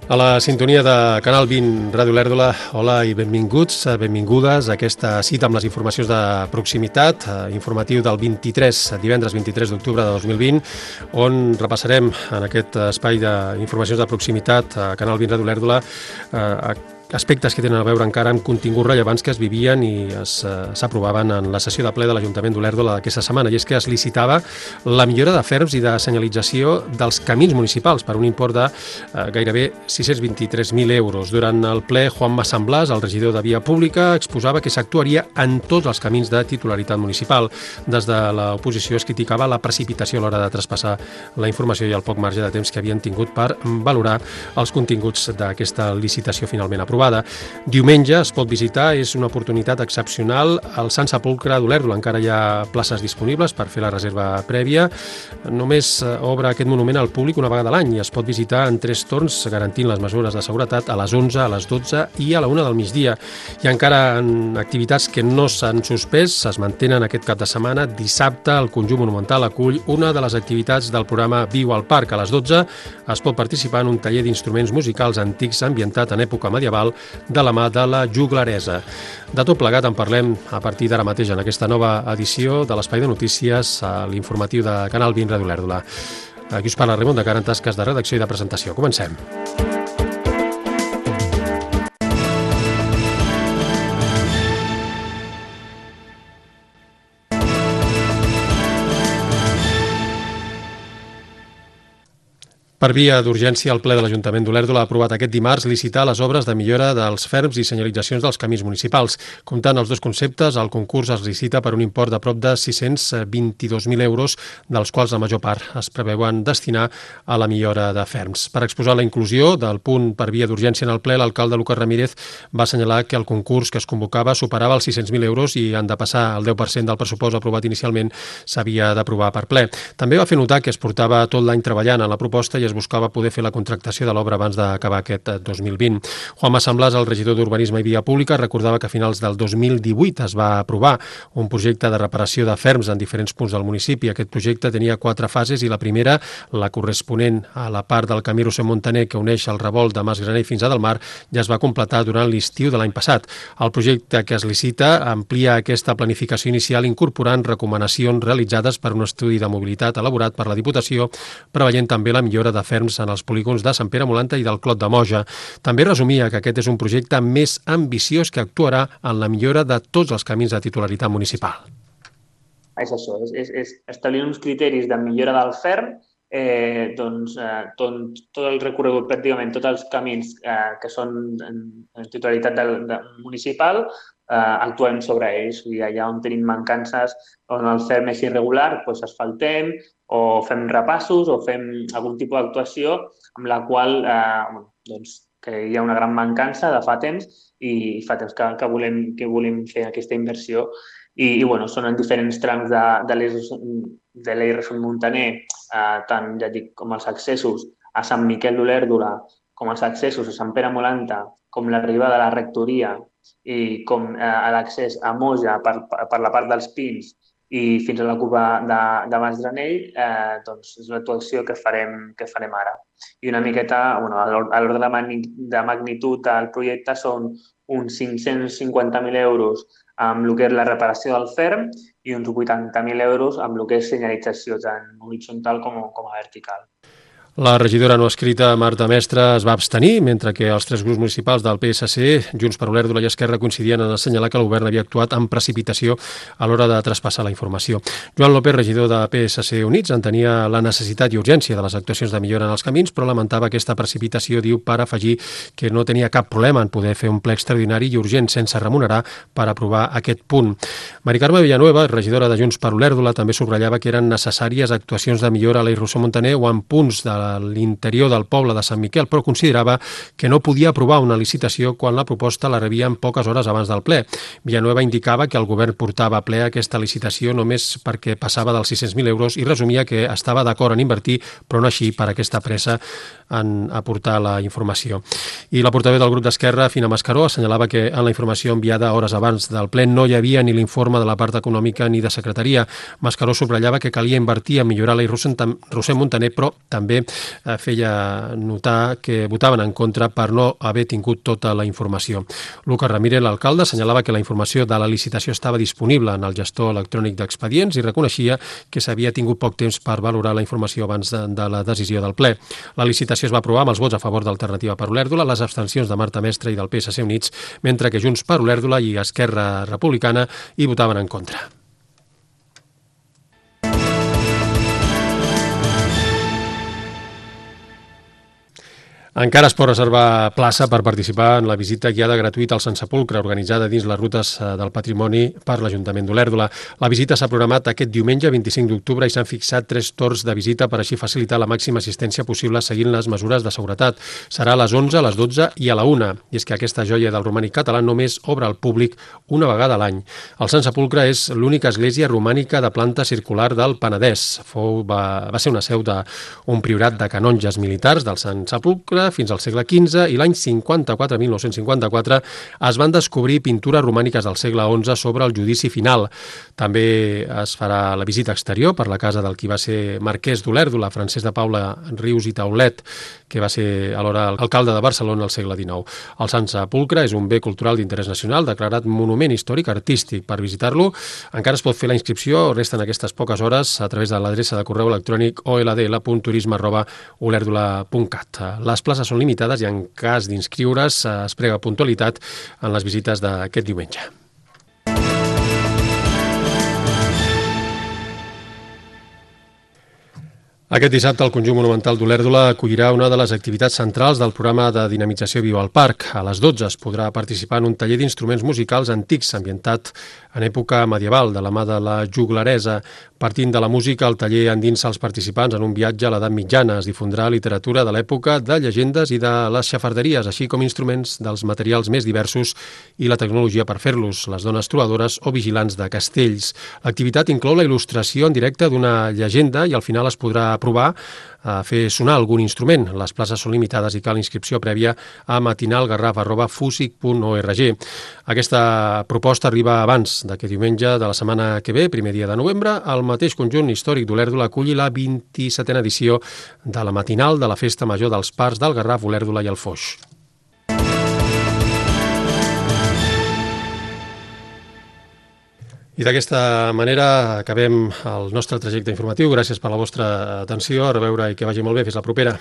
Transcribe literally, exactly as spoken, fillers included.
A la sintonia de Canal vint Ràdio Olèrdola, hola i benvinguts, benvingudes a aquesta cita amb les informacions de proximitat, informatiu del vint-i-tres, divendres vint-i-tres d'octubre de dos mil vint, on repassarem en aquest espai d'informacions de proximitat a Canal vint Ràdio Olèrdola aspectes que tenen a veure encara amb continguts rellevants que es vivien i s'aprovaven en la sessió de ple de l'Ajuntament d'Olèrdola d'aquesta setmana, i és que es licitava la millora de ferms i de senyalització dels camins municipals per un import de eh, gairebé sis-cents vint-i-tres mil euros. Durant el ple, Juanma Samblàs, el regidor de Via Pública, exposava que s'actuaria en tots els camins de titularitat municipal. Des de l'oposició es criticava la precipitació a l'hora de traspassar la informació i el poc marge de temps que havien tingut per valorar els continguts d'aquesta licitació finalment aprovada. Diumenge es pot visitar, és una oportunitat excepcional al Sant Sepulcre d'Olèrdola. Encara hi ha places disponibles per fer la reserva prèvia. Només obre aquest monument al públic una vegada a l'any i es pot visitar en tres torns, garantint les mesures de seguretat a les onze, a les dotze i a la una del migdia. Hi ha encara activitats que no s'han suspès, es mantenen aquest cap de setmana. Dissabte el conjunt monumental acull una de les activitats del programa Viu al Parc. A les dotze es pot participar en un taller d'instruments musicals antics ambientat en època medieval de la mà de la juglaresa. De tot plegat en parlem a partir d'ara mateix en aquesta nova edició de l'Espai de Notícies, a l'informatiu de Canal vint Ràdio Olèrdola. Aquí us parla Raimon de Cara en tasques de redacció i de presentació. Comencem. Per via d'urgència, el ple de l'Ajuntament d'Olèrdola ha aprovat aquest dimarts licitar les obres de millora dels ferms i senyalitzacions dels camins municipals. Comptant els dos conceptes, el concurs es licita per un import de prop de sis-cents vint-i-dos mil euros, dels quals la major part es preveuen destinar a la millora de ferms. Per exposar la inclusió del punt per via d'urgència en el ple, l'alcalde Lucas Ramírez va assenyalar que el concurs que es convocava superava els sis-cents mil euros i han de passar el deu per cent del pressupost aprovat inicialment s'havia d'aprovar per ple. També va fer notar que es portava tot l'any treballant en la proposta i es buscava poder fer la contractació de l'obra abans d'acabar aquest dos mil vint. Juanma Samblàs, el regidor d'Urbanisme i Via Pública, recordava que a finals del dos mil divuit es va aprovar un projecte de reparació de ferms en diferents punts del municipi. Aquest projecte tenia quatre fases i la primera, la corresponent a la part del camí Roser-Montaner que uneix el revolt de Masgraner fins a Delmar, ja es va completar durant l'estiu de l'any passat. El projecte que es licita amplia aquesta planificació inicial incorporant recomanacions realitzades per un estudi de mobilitat elaborat per la Diputació, preveient també la millora de ferms en els polígons de Sant Pere Molanta i del Clot de Moja. També resumia que aquest és un projecte més ambiciós que actuarà en la millora de tots els camins de titularitat municipal. És això, és, és, és establir uns criteris de millora del ferm, eh, doncs eh, tot, tot el recorregut, pràcticament tots els camins eh, que són en, en titularitat del, de, municipal, eh, actuem sobre ells. I allà on tenim mancances, on el ferm és irregular, doncs asfaltem, o fem repassos o fem algun tipus d'actuació amb la qual eh, doncs, que hi ha una gran mancança de fa temps i fa temps que, que, volem, que volem fer aquesta inversió. I, i bueno, són en diferents trams de, de l'E Roser-Montaner, eh, tant ja dic, com els accessos a Sant Miquel d'Olèrdola, com els accessos a Sant Pere Molanta, com l'arribada a la rectoria i com eh, l'accés a Moja per, per la part dels Pins i fins a la cova de, de Masdranell, eh, doncs és l'actuació que farem, que farem ara. I una miqueta, bueno, a l'ordre de magnitud del projecte són uns cinc-cents cinquanta mil euros amb el que és la reparació del ferm i uns vuitanta mil euros amb el que és senyalització tant horitzontal com, com a vertical. La regidora no escrita Marta Mestre es va abstenir, mentre que els tres grups municipals del P S C, Junts per Olèrdola i Esquerra, coincidien en assenyalar que el govern havia actuat amb precipitació a l'hora de traspassar la informació. Joan López, regidor de P S C Units, entenia la necessitat i urgència de les actuacions de millora en els camins, però lamentava aquesta precipitació, diu, per afegir que no tenia cap problema en poder fer un ple extraordinari i urgent sense remunerar per aprovar aquest punt. Mari Carme Villanueva, regidora de Junts per Olèrdola, també subratllava que eren necessàries actuacions de millora a l'E Roser-Montaner o en punts de a l'interior del poble de Sant Miquel, però considerava que no podia aprovar una licitació quan la proposta la rebia en poques hores abans del ple. Villanueva indicava que el govern portava a ple aquesta licitació només perquè passava dels sis-cents mil euros i resumia que estava d'acord en invertir, però no així per aquesta pressa en aportar la informació. I la portaveu del grup d'Esquerra, Fina Mascaró, assenyalava que en la informació enviada hores abans del ple no hi havia ni l'informe de la part econòmica ni de secretaria. Mascaró subratllava que calia invertir en millorar l'E Roser-Montaner, però també feia notar que votaven en contra per no haver tingut tota la informació. Lucas Ramírez, l'alcalde, assenyalava que la informació de la licitació estava disponible en el gestor electrònic d'expedients i reconeixia que s'havia tingut poc temps per valorar la informació abans de, de la decisió del ple. La licitació es va aprovar amb els vots a favor d'Alternativa per Olèrdola, les abstencions de Marta Mestre i del P S C Units, mentre que Junts per Olèrdola i Esquerra Republicana hi votaven en contra. Encara es pot reservar plaça per participar en la visita guiada gratuïta al Sant Sepulcre, organitzada dins les rutes del patrimoni per l'Ajuntament d'Olèrdola. La visita s'ha programat aquest diumenge vint-i-cinc d'octubre i s'han fixat tres torns de visita per així facilitar la màxima assistència possible seguint les mesures de seguretat. Serà a les onze, a les dotze i a la una. I és que aquesta joia del romànic català només obre al públic una vegada a l'any. El Sant Sepulcre és l'única església romànica de planta circular del Penedès. Fou, va, va ser una seu d'un priorat de canonges militars del Sant Sepulcre fins al segle quinze i l'any cinquanta-quatre, mil nou-cents cinquanta-quatre, es van descobrir pintures romàniques del segle onze sobre el judici final. També es farà la visita exterior per la casa del qui va ser marquès d'Olèrdola, Francesc de Paula Rius i Taulet, que va ser alhora alcalde de Barcelona al segle dinou. El Sant Sepulcre és un bé cultural d'interès nacional declarat monument històric artístic. Per visitar-lo encara es pot fer la inscripció, resten aquestes poques hores, a través de l'adreça de correu electrònic o l d l punt turisme arroba olèrdola punt cat. Les places són limitades i en cas d'inscriure's es prega puntualitat en les visites d'aquest diumenge. Aquest dissabte el Conjunt Monumental d'Olèrdola acollirà una de les activitats centrals del programa de dinamització Viva al Parc. A les dotze es podrà participar en un taller d'instruments musicals antics ambientat en època medieval, de la mà de la juglaresa. Partint de la música, el taller endinsa els participants en un viatge a l'edat mitjana. Es difondrà literatura de l'època, de llegendes i de les xafarderies, així com instruments dels materials més diversos i la tecnologia per fer-los, les dones trobadores o vigilants de castells. L'activitat inclou la il·lustració en directe d'una llegenda i al final es podrà provar a fer sonar algun instrument. Les places són limitades i cal inscripció prèvia a matinalgarraf arroba fusic punt org. Aquesta proposta arriba abans d'aquest diumenge de la setmana que ve, primer dia de novembre. El mateix Conjunt Històric d'Olèrdola aculli la vint-i-setena edició de la matinal de la Festa Major dels Parcs del Garraf, Olèrdola i el Foix. I d'aquesta manera acabem el nostre trajecte informatiu. Gràcies per la vostra atenció. A reveure i que vagi molt bé. Fins la propera.